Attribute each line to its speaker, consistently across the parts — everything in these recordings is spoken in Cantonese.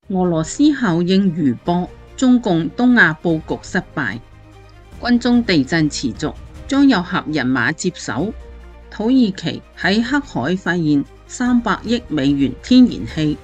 Speaker 1: 俄羅斯效應餘波，中共東亞布局失敗，軍中地震持續，將有合人馬接手。土耳其喺黑海發現300億美元天然氣。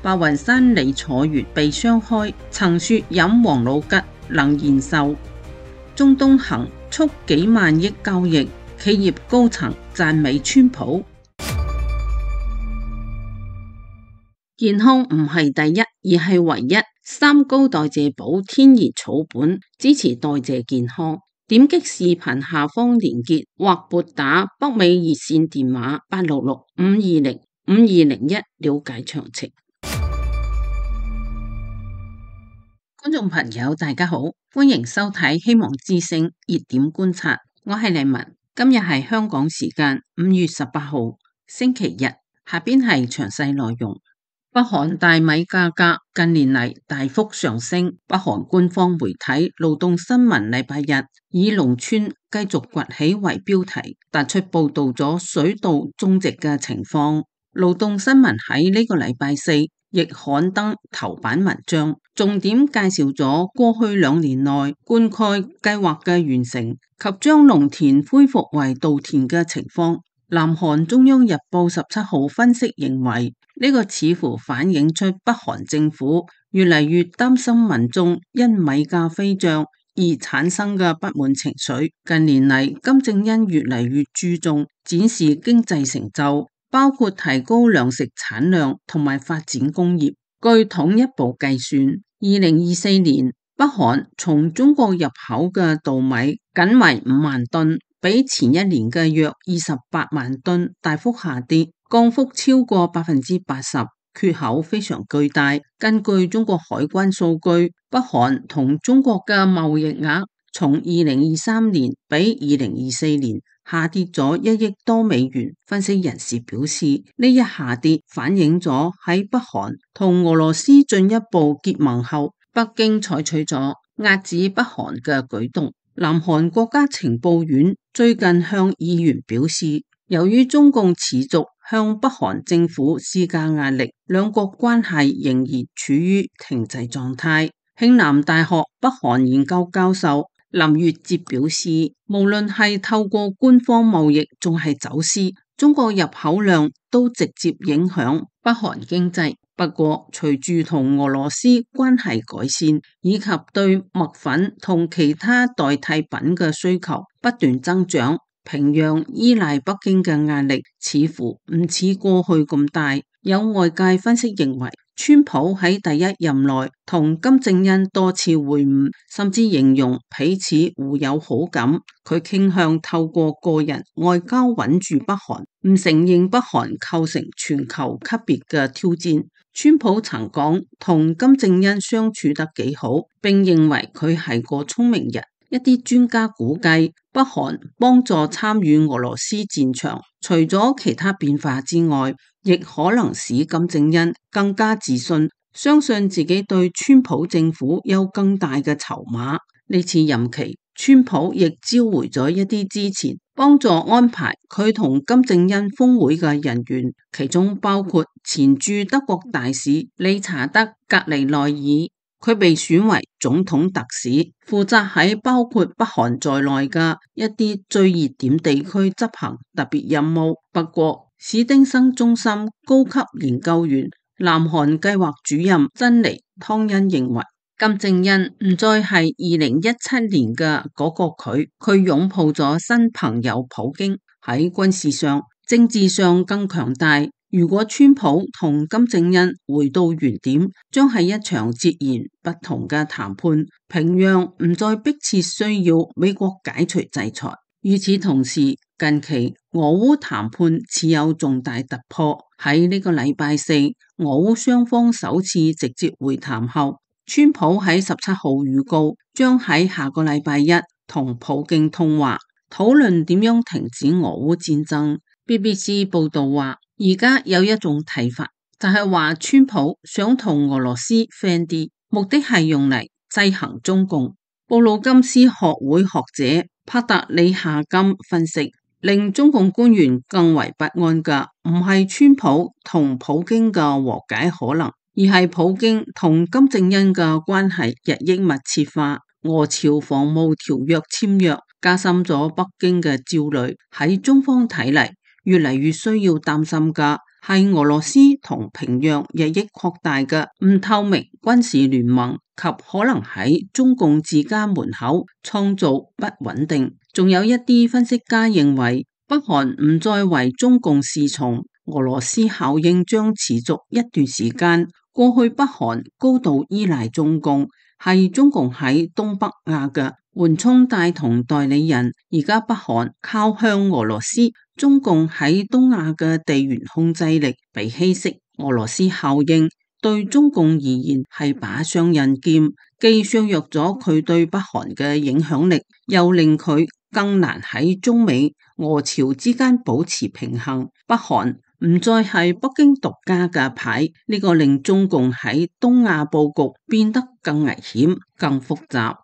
Speaker 1: 白雲山李楚元被雙開，曾說飲王老吉能延壽。中東行促幾萬億交易，企業高層讚美川普。健康唔係第一，而係唯一。三高代謝寶天然草本，支持代謝健康。點擊視頻下方連結或撥打北美熱線電話866-520-5201了解詳情。觀眾朋友大家好，歡迎收睇希望之聲熱點觀察，我係麗文。今日係香港時間5月18號星期日，下邊係詳細內容。北韓大米價格近年嚟大幅上升，北韓官方媒體勞動新聞禮拜日以農村繼續崛起為標題，突出報道咗水稻種植嘅情況。勞動新聞喺呢個禮拜四亦刊登頭版文章，重點介紹咗過去2年內灌溉計劃嘅完成及將農田恢復為稻田嘅情況。南韓中央日報17號分析認為，呢個似乎反映出北韓政府越嚟越擔心民眾因米價飛漲而產生嘅不滿情緒。近年嚟，金正恩越嚟越注重展示經濟成就，包括提高糧食產量同埋發展工業。據統一部計算，2024年北韓從中國入口嘅稻米僅為5萬噸，比前一年嘅約28萬噸大幅下跌，降幅超過80%，缺口非常巨大。根據中國海關數據，北韓同中國嘅貿易額從2023年比2024年下跌咗1億多美元。分析人士表示，呢一下跌反映咗喺北韓同俄羅斯進一步結盟後，北京採取咗壓制北韓嘅舉動。南韓國家情報院最近向議員表示，由於中共持續向北韓政府施加壓力，兩國關係仍然處於停滯狀態。慶南大學北韓研究教授林月哲表示，無論係透過官方貿易仲係走私，中國入口量都直接影響北韓經濟。不過，隨住同俄羅斯關係改善，以及對麥粉同其他代替品嘅需求不斷增長，平壤依賴北京嘅壓力似乎唔似過去咁大。有外界分析認為，川普喺第一任內同金正恩多次會晤，甚至形容彼此互有好感。佢傾向透過個人外交穩住北韓，唔承認北韓構成全球級別嘅挑戰。川普曾講同金正恩相處得幾好，並認為佢係個聰明人。一啲專家估計，北韓幫助參與俄羅斯戰場，除咗其他變化之外，亦可能使金正恩更加自信，相信自己對川普政府有更大嘅籌碼。呢次任期，川普亦召回咗一啲之前幫助安排佢同金正恩峰會嘅人員，其中包括前駐德國大使理查德·格尼內爾，佢被選為總統特使，負責喺包括北韓在內嘅一啲最熱點地區執行特別任務。不過，史丁生中心高級研究員、南韓計劃主任珍妮湯恩認為，金正恩唔再係2017年嘅嗰個佢擁抱咗新朋友普京，喺軍事上、政治上更強大。如果川普同金正恩回到原點，將係一場截然不同嘅談判。平壤唔再迫切需要美國解除制裁。與此同時，近期俄烏談判似有重大突破。喺呢個禮拜四，俄烏雙方首次直接會談後，川普喺17號預告將喺下個禮拜一同普京通話，討論點樣停止俄烏戰爭。BBC 報道話，而家有一種睇法，就係話川普想同俄羅斯 friend 啲，目的係用嚟制衡中共。布魯金斯學會學者帕特里夏金分析，令中共官員更為不安嘅唔係川普同普京嘅和解可能，而而係普京同金正恩嘅關係日益密切化，俄朝防務條約簽約加深咗北京嘅焦慮。喺中方睇嚟，越嚟越需要擔心嘅係俄羅斯同平壤日益擴大嘅唔透明軍事聯盟及可能喺中共自家門口創造不穩定。仲有一啲分析家認為，北韓唔再為中共侍從，俄羅斯效應將持續一段時間。過去北韓高度依賴中共，係中共喺東北亞嘅緩衝帶同代理人。而家北韓靠向俄羅斯，中共喺東亞嘅地緣控制力被稀釋。俄羅斯效應對中共而言係把雙刃劍，既削弱咗佢對北韓嘅影響力，又令佢更難喺中美、俄朝之間保持平衡。北韓唔再係北京獨家嘅牌，呢個令中共喺東亞布局變得更危險、更複雜。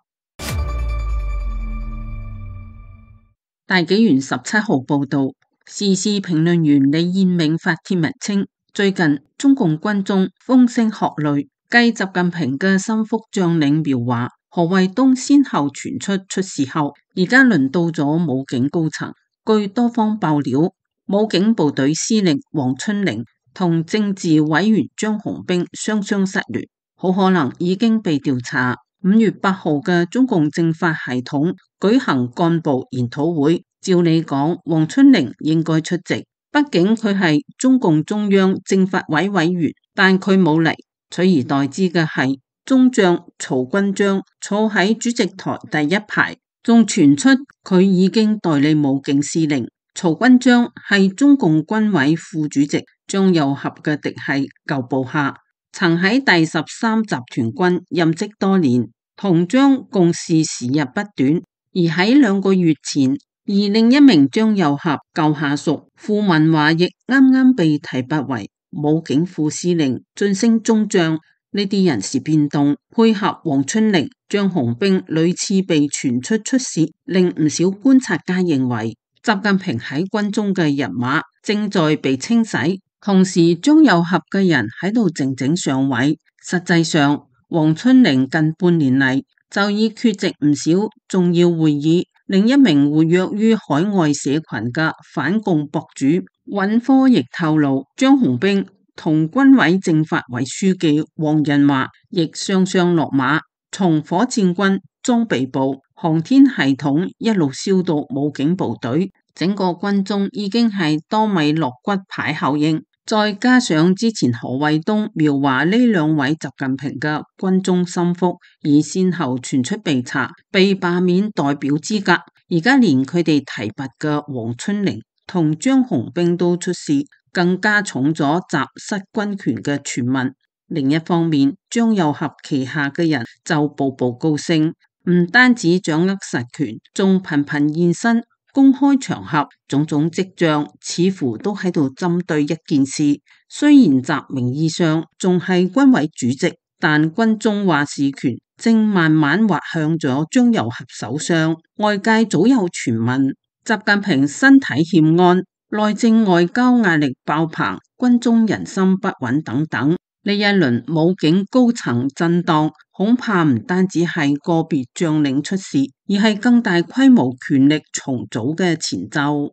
Speaker 1: 大紀元17號報道，時事評論員李彥銘發帖文稱，最近中共軍中風聲鶴唳，繼習近平嘅心腹將領苗華、何衛東先後傳出事後，而家輪到咗武警高層。據多方爆料，武警部隊司令黃春玲同政治委員張雄兵雙雙失聯，好可能已經被調查。5月8號嘅中共政法系統舉行幹部研討會，照理講黃春玲應該出席，畢竟佢係中共中央政法委委員，但佢冇嚟，取而代之嘅係中將曹軍章坐喺主席台第一排，仲傳出佢已經代理武警司令。曹軍章係中共軍委副主席張又俠嘅嫡系舊部下，曾喺第13集團軍任職多年，同張共事時日不短。而喺2個月前，而另一名張又俠舊下屬傅文華亦啱啱被提拔為武警副司令，晉升中將。呢啲人事變動配合黃春玲、張雄兵屢次被傳出事，令唔少觀察家認為習近平喺軍中嘅人馬正在被清洗，同時張又俠嘅人喺度靜靜上位。實際上，黃春玲近半年嚟就已缺席唔少重要會議。另一名活躍於海外社群嘅反共博主尹科亦透露，張雄兵同軍委政法委書記黃仁華亦雙雙落馬，從火箭軍、裝備部、航天系統一路燒到武警部隊，整個軍中已經係多米諾骨牌效應。再加上之前何衛東、苗華呢2位習近平嘅軍中心腹，已先後傳出被查、被罷免代表資格，而家連佢哋提拔嘅黃春玲同張雄兵都出事，更加重咗習失軍權嘅傳聞。另一方面，張又俠旗下嘅人就步步高升，唔單止掌握實權，仲頻頻現身公開場合，種種跡象似乎都喺度針對一件事。雖然習名義上仲係軍委主席，但軍中話事權正慢慢滑向咗張又俠手上。外界早有傳聞，習近平身體欠安、內政外交壓力爆棚、軍中人心不穩等等。呢一輪武警高層震盪，恐怕唔單止係個別將領出事，而係更大規模權力重組嘅前奏。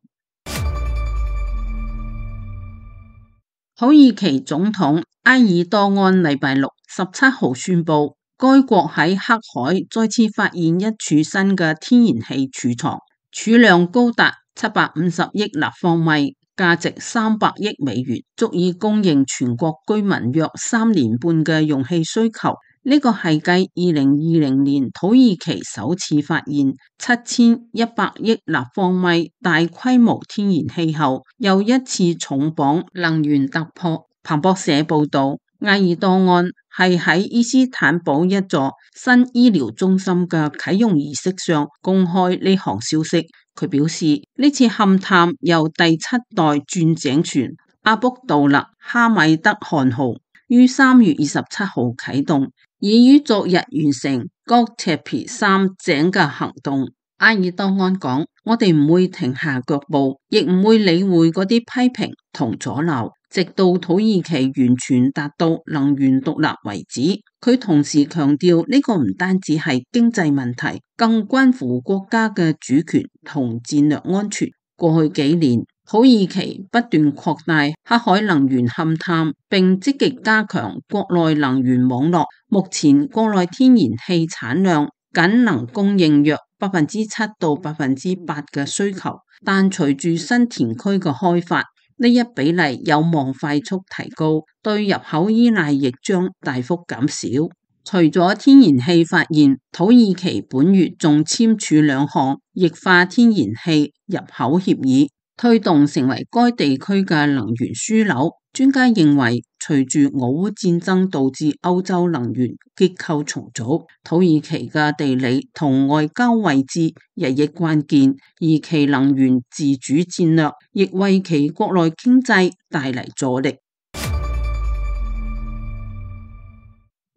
Speaker 1: 土耳其總統埃爾多安禮拜6 17號宣布，該國喺黑海再次發現一處新嘅天然氣儲藏，儲量高達750億立方米。價值300億美元，足以供應全國居民約3年半嘅用氣需求。呢個係繼2020年土耳其首次發現7100億立方米大規模天然氣後，又一次重磅能源突破。彭博社報道，埃爾多安係喺伊斯坦堡一座新醫療中心嘅啟用儀式上公開呢項消息。佢表示，呢次勘探由第7代鑽井船阿卜杜勒哈米德汗號於3月27號啟動，已於昨日完成戈赤皮3井嘅行動。埃爾多安講：我哋唔會停下腳步，亦唔會理會嗰啲批評同阻撓。直到土耳其完全達到能源獨立為止。佢同時強調呢個唔單止係經濟問題，更關乎國家嘅主權同戰略安全。過去幾年，土耳其不斷擴大黑海能源勘探，並積極加強國內能源網絡。目前國內天然氣產量僅能供應約7%到8%嘅需求，但隨住新田區嘅開發，呢一比例有望快速提高，對入口依賴亦將大幅減少。除咗天然氣發現，土耳其本月仲簽署2項液化天然氣入口協議，推動成為該地區嘅能源樞紐。專家認為，隨住俄烏戰爭導致歐洲能源結構重組，土耳其嘅地理同外交位置日益關鍵，而其能源自主戰略亦為其國內經濟帶嚟助力。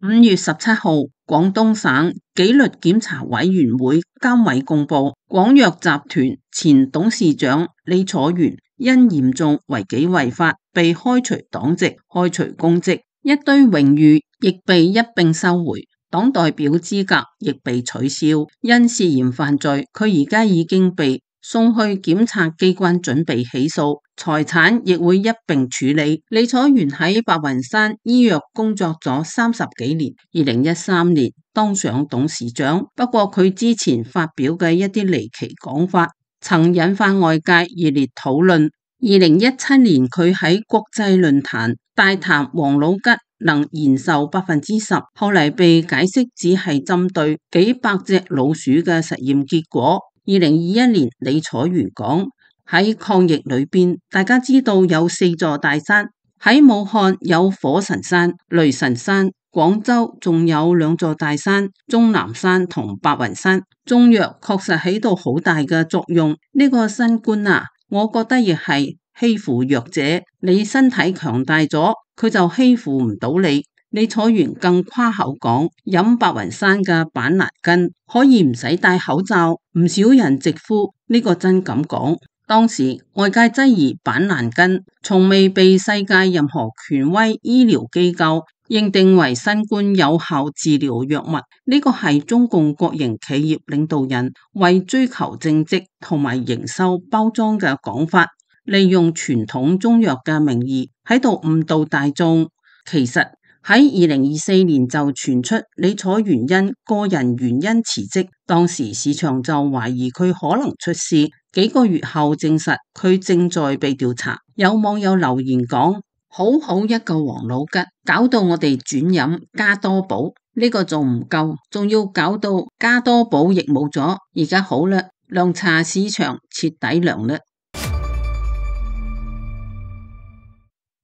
Speaker 1: 5月17號，廣東省紀律檢查委員會監委公布，廣藥集團前董事長李楚元因嚴重違紀違法被開除黨籍、開除公職，一堆榮譽亦被一併收回，黨代表資格亦被取消。因涉嫌犯罪，佢而家已經被送去檢察機關準備起訴，財產亦會一併處理。李楚元喺白雲山醫藥工作咗30幾年，2013年當上董事長。不過佢之前發表嘅一啲離奇講法，曾引發外界熱烈討論。2017年佢喺國際論壇大談王老吉能延壽10%，後嚟被解釋只係針對幾百隻老鼠嘅實驗結果。2021年李楚元講，喺抗疫裏邊，大家知道有4座大山，喺武漢有火神山、雷神山，廣州仲有2座大山，終南山同白雲山。中藥確實起到好大嘅作用。呢個新冠啊，我覺得亦係欺負弱者，你身體強大咗，佢就欺負唔到你。李楚元更誇口講，飲白雲山嘅板藍根可以唔使戴口罩，唔少人直呼呢個真咁講。當時外界質疑板藍根從未被世界任何權威醫療機構認定為新冠有效治療藥物，呢個係中共國營企業領導人為追求政績同埋營收包裝嘅講法，利用傳統中藥嘅名義喺度誤導大眾。其實喺2024年就傳出李楚元因個人原因辭職，當時市場就懷疑佢可能出事，幾個月後證實佢正在被調查。有網友留言講，好好一個王老吉，搞到我哋轉飲加多寶，呢個仲唔夠，仲要搞到加多寶亦冇咗。而家好啦，涼茶市場徹底涼啦。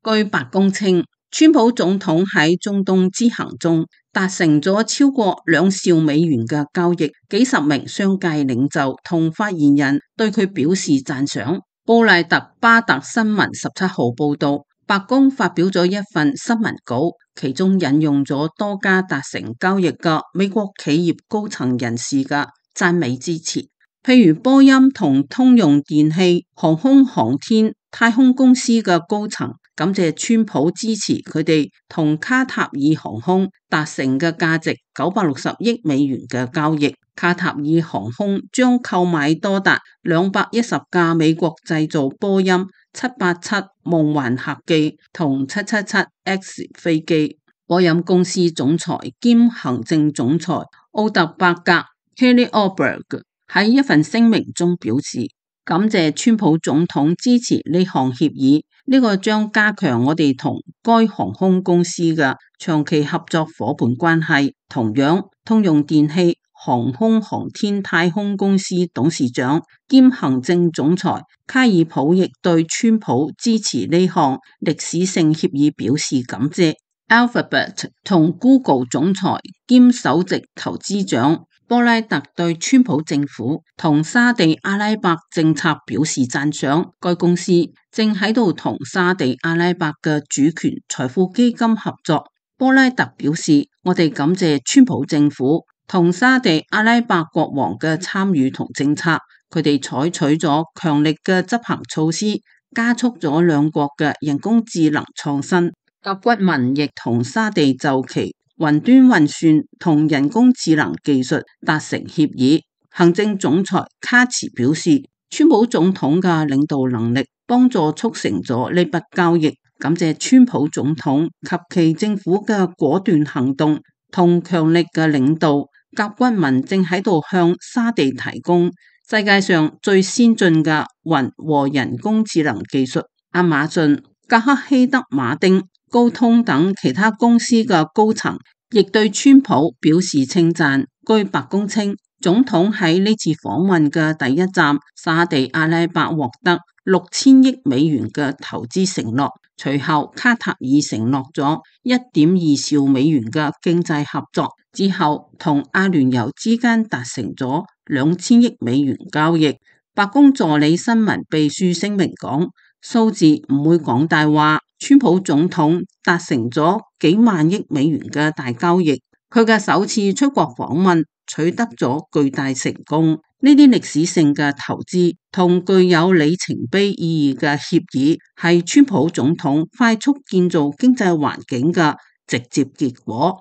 Speaker 1: 據白宮稱，川普總統喺中東之行中達成咗超過2兆美元嘅交易，幾十名商界領袖同發言人對佢表示讚賞。布賴特巴特新聞17號報道，白宮發表咗一份新聞稿，其中引用咗多家達成交易嘅美國企業高層人士嘅讚美之詞，譬如波音同通用電氣、航空航天、太空公司嘅高層感謝川普支持佢哋同卡塔爾航空達成嘅價值960億美元嘅交易。卡塔爾航空將購買多達210架美國製造波音787夢幻客機同777X 飛機。波音公司總裁兼行政總裁奧特伯格 Kelly Oberg 喺一份聲明中表示，感謝川普總統支持呢項協議，呢個將加強我哋同該航空公司嘅長期合作夥伴關係。同樣，通用電氣航空航天太空公司董事長兼行政總裁卡爾普亦對川普支持呢項歷史性協議表示感謝。Alphabet 同 Google 總裁兼首席投資長波拉特對川普政府同沙地阿拉伯政策表示讚賞，該公司正喺度同沙地阿拉伯嘅主權財富基金合作。波拉特表示，我哋感謝川普政府同沙地阿拉伯國王嘅參與同政策，佢哋採取咗強力嘅執行措施，加速咗兩國嘅人工智能創新。甲骨文亦同沙地就其雲端運算同人工智能技術達成協議。行政總裁卡茨表示，川普總統嘅領導能力幫助促成咗呢筆交易，感謝川普總統及其政府嘅果斷行動同強力嘅領導。甲骨文正喺度向沙地提供世界上最先進嘅雲和人工智能技術。亞馬遜、格克希德馬丁、高通等其他公司嘅高層亦對川普表示稱讚。據白宮稱，總統喺呢次訪問嘅第一站沙地阿拉伯獲得$6000億嘅投資承諾，隨後卡塔爾承諾咗1.2兆美元嘅經濟合作，之後同阿聯酋之間達成咗$2000億交易。白宮助理新聞秘書聲明講，數字唔會講大話，川普總統達成咗幾萬億美元嘅大交易，佢嘅首次出國訪問取得咗巨大成功。呢啲歷史性嘅投資同具有里程碑意義嘅協議，係川普總統快速建造經濟環境嘅直接結果。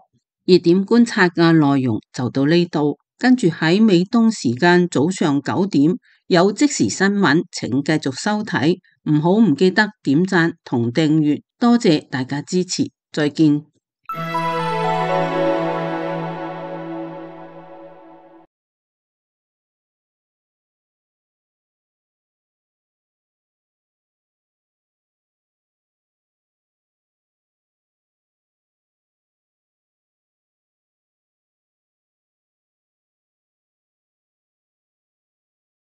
Speaker 1: 熱點觀察嘅內容就到呢度，跟住喺美東時間早上9點有即時新聞，請繼續收睇，唔記得點讚同訂閱，多謝大家支持，再見。